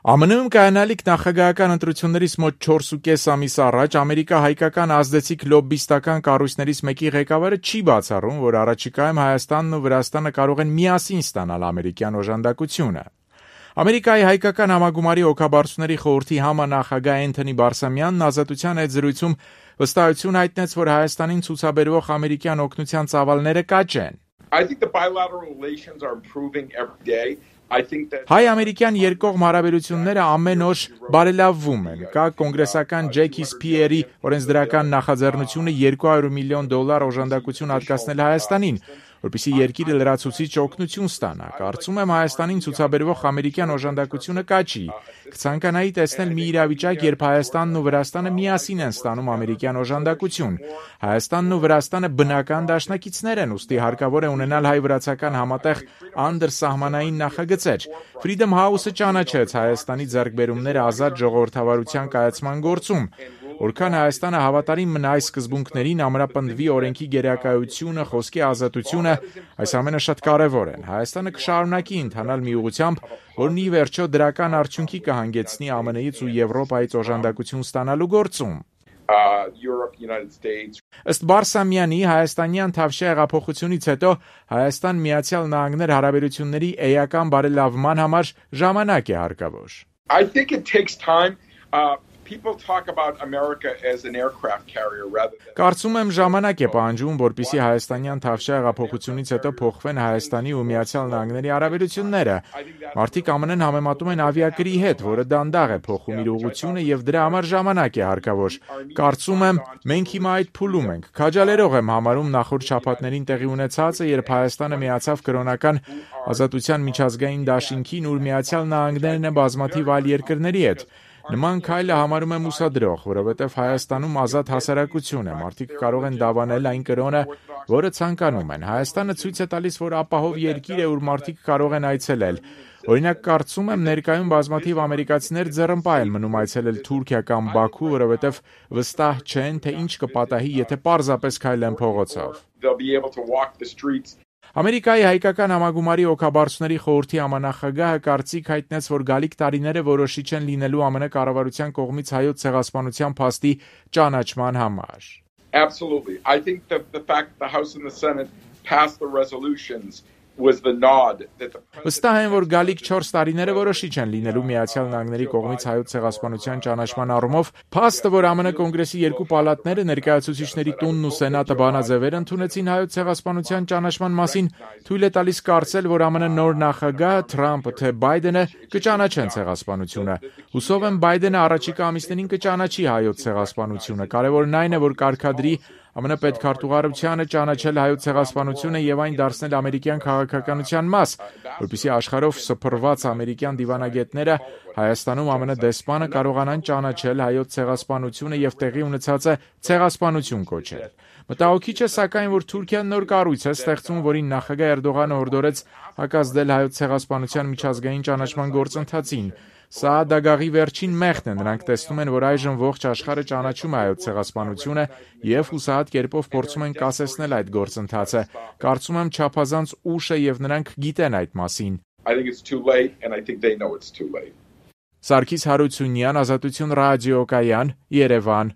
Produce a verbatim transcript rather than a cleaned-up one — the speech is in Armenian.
Ամն Ում կայանալիք նախագահական ընտրություններից մոտ չորսուկես ամիս առաջ ամերիկա-հայկական ազդեցիկ լոբբիստական կառույցներից մեկի ղեկավարը չի բացառում, որ առաջիկայում Հայաստանն ու Վրաստանը կարող են միասին ստանալ ամերիկյան օժանդակությունը։ Ամերիկայի հայկական համագումարի օգաբարձուների խորհրդի համանախագահ Էնթոնի Բարսամյանն Ազատության հետ զրույցում վստահություն հայտնեց, որ Հայաստանին ցուցաբերվող ամերիկյան օգնության ծավալները կաճ են։ I think the bilateral relations are improving every day. Հայ-ամերիկյան երկկողմ հարաբերությունները ամեն օր բարելավվում են։ Կա կոնգրեսական Ջեքի Սփիերի օրենսդրական նախաձեռնությունը երկու հարյուր միլիոն դոլար օժանդակություն հատկացնել Հայաստանին, որպեսզի երկիրը լրացուցիչ օգնություն ստանա։ Կարծում եմ Հայաստանին ցուցաբերվող ամերիկյան օժանդակությունը կաճի։ Կցանկանայի տեսնել մի իրավիճակ, երբ Հայաստանն ու Վրաստանը միասին են ստանում ամերիկյան օժանդակություն։ Հայաստանն ու Վրաստանը բնական դաշնակիցներ են, ուստի հարկավոր է ունենալ հայ-վրացական համատեղ անդրսահմանային նախագծեր։ Freedom House-ը ճանաչեց Հայաստանի ձեռքբերումները ազատ ժողովրդավարության կայացման գործում։ Որքան Հայաստանը հավատարիմ մնա այս սկզբունքներին, ամրապնդվի օրենքի գերակայությունը, խոսքի ազատությունը, այս ամենը շատ կարևոր են։ Հայաստանը կշարունակի ընթանալ մի ուղղությամբ, որն ի վերջո դրական արդյունքի կհանգեցնի ԱՄՆ-ից ու Եվրոպայից օժանդակություն ստանալու գործում։ Ըստ Բարսամյանի, հայաստանյան Թավշյա հեղափոխությունից հետո Հայաստան-Միացյալ Նահանգներ հարաբերությունների էական բարելավման համար ժամանակ է հարկավոր։ I think it takes time. Uh, people talk about America as an aircraft carrier rather than Կարծում եմ ժամանակ է պահանջում, որպեսզի հայաստանյան Թավշյա հեղափոխությունից հետո փոխվեն Հայաստանի ու Միացյալ Նահանգների հարաբերությունները։ Մարդիկ ԱՄՆ-ն համեմատում են ավիակրի հետ, որը դանդաղ է փոխում իր ուղղությունը եւ դրա համար ժամանակ է հարկավոր։ Կարծում եմ, մենք հիմա այդ փուլում ենք։ Քաջալերող եմ համարում նախորդ շաբաթներին տեղի ունեցածը, երբ Հայաստանը միացավ կրոնական ազատության միջազգային դաշինքին, ուր Միացյալ Նահանգներն է բազմաթիվ այլ երկրների հետ։ Նման քայլը համարում եմ ուսադրող, որովհետև Հայաստանում ազատ հասարակություն է, մարդիկ կարող են դավանել այն կրոնը, որը ցանկանում են։ Հայաստանը ցույց է տալիս, որ ապահով երկիր է, ուր մարդիկ կարող են այցելել։ Օրինակ, կարծում եմ ներկայում բազմաթիվ ամերիկացիներ ձեռնպահ են մնում այցելել Թուրքիա կամ Բաքու, որովհետև վստահ չեն, թե ինչ կպատահի, եթե պարզապես քայլեն փողոցով։ Ամերիկայի հայկական համագումարի օգաբարձուների խորհրդի համանախագահը կարծիք հայտնեց, որ գալիք տարիները որոշիչ են լինելու ԱՄՆ կառավարության կողմից հայոց ցեղասպանության փաստի ճանաչման համար։ Absolutely. I think that the fact the House and the Senate passed the resolutions was the nod that the Վստահ եմ, որ գալիք չորս տարիները որոշիչ են լինելու Միացյալ Նահանգների կողմից հայոց ցեղասպանության ճանաչման առումով, փաստը, որ ԱՄՆ կոնգրեսի երկու պալատները ներկայացուցիչների տունն ու սենատը բանաձևեր ընդունեցին հայոց ցեղասպանության ճանաչման մասին, թույլ է տալիս կարծել, որ ԱՄՆ նոր նախագահ Թրամփը թե Բայդենը կճանաչեն ցեղասպանությունը։ Հուսով եմ Բայդենը առաջիկա ամիսներին կճանաչի հայոց ցեղասպանությունը։ Կարևորն այն է, որ կարգադրի ԱՄՆ պետքարտուղարությանը ճանաչել հայոց ցեղասպանությունը եւ այն դարձնել ամերիկյան քաղաքականության մաս, որպեսզի աշխարհով սփռված ամերիկյան դիվանագետները Հայաստանում ԱՄՆ դեսպանը կարողանան ճանաչել հայոց ցեղասպանությունը եւ տեղի ունեցածը ցեղասպանություն կոչել։ Մտահոգիչ է սակայն, որ Թուրքիան նոր կառույց է ստեղծում, որին նախագահ Էրդողանը հորդորեց հակազդել հայոց ցեղասպանության միջազգային ճանաչման գործընթացին։ Սա դագաղի վերջին մեղքն է, նրանք տեսնում են, որ այժմ ողջ աշխարհը ճանաչում է հայոց ցեղասպանությունը եւ հուսահատ կերպով փորձում են կասեցնել այդ գործընթացը։ Կարծում եմ չափազանց ուշ է եւ նրանք գիտեն այդ մասին։ I think it's too late and I think they know it's too late. Սարգիս Հարությունյան, Ազատություն ռադիոկայան, Երևան։